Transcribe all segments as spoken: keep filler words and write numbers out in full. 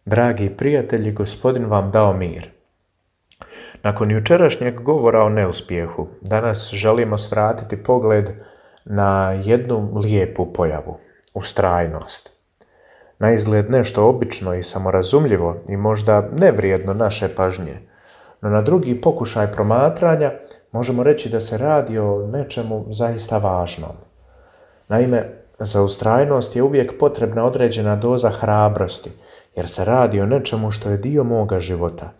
Dragi prijatelji, Gospodin vam dao mir. Nakon jučerašnjeg govora o neuspjehu, danas želimo svratiti pogled na jednu lijepu pojavu, ustrajnost. Naizgled nešto obično i samorazumljivo i možda nevrijedno naše pažnje, no na drugi pokušaj promatranja možemo reći da se radi o nečemu zaista važnom. Naime, za ustrajnost je uvijek potrebna određena doza hrabrosti, jer se radi o nečemu što je dio moga života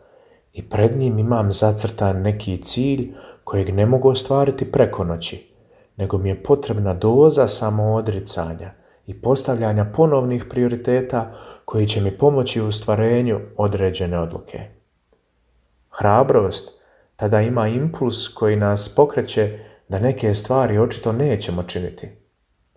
i pred njim imam zacrtan neki cilj kojeg ne mogu ostvariti preko noći, nego mi je potrebna doza samoodricanja i postavljanja ponovnih prioriteta koji će mi pomoći u ostvarenju određene odluke. Hrabrost tada ima impuls koji nas pokreće da neke stvari očito nećemo činiti.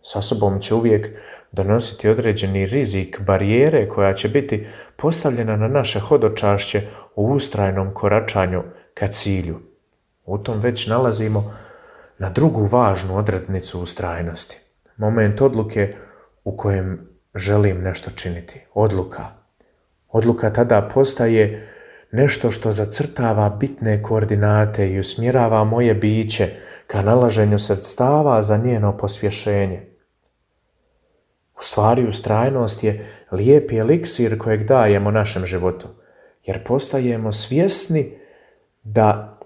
Sa sobom će uvijek donositi određeni rizik barijere koja će biti postavljena na naše hodočašće u ustrajnom koračanju ka cilju. U tom već nalazimo na drugu važnu odrednicu ustrajnosti. Moment odluke u kojem želim nešto činiti. Odluka. Odluka tada postaje nešto što zacrtava bitne koordinate i usmjerava moje biće ka nalaženju sredstava za njeno pospješenje. U stvari, ustrajnost je lijepi eliksir kojeg dajemo našem životu, jer postajemo svjesni da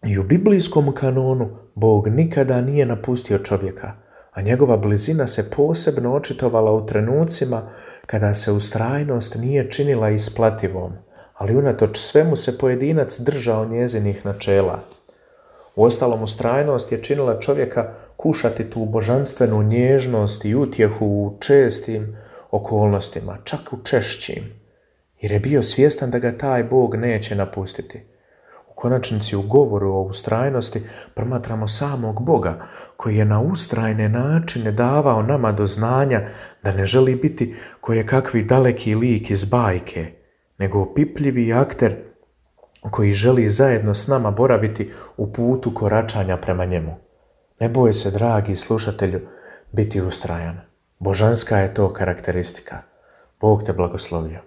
i u biblijskom kanonu Bog nikada nije napustio čovjeka, a njegova blizina se posebno očitovala u trenucima kada se ustrajnost nije činila isplativom, ali unatoč svemu se pojedinac držao njezinih načela. Uostalom, ustrajnost je činila čovjeka kušati tu božanstvenu nježnost i utjehu u čestim okolnostima, čak u češćim, jer je bio svjestan da ga taj Bog neće napustiti. U konačnici u govoru o ustrajnosti promatramo samog Boga, koji je na ustrajne načine davao nama do znanja da ne želi biti kojekakvi daleki lik iz bajke, nego opipljivi akter koji želi zajedno s nama boraviti u putu koračanja prema njemu. Ne boj se, dragi slušatelju, biti ustrajan. Božanska je to karakteristika. Bog te blagoslovio.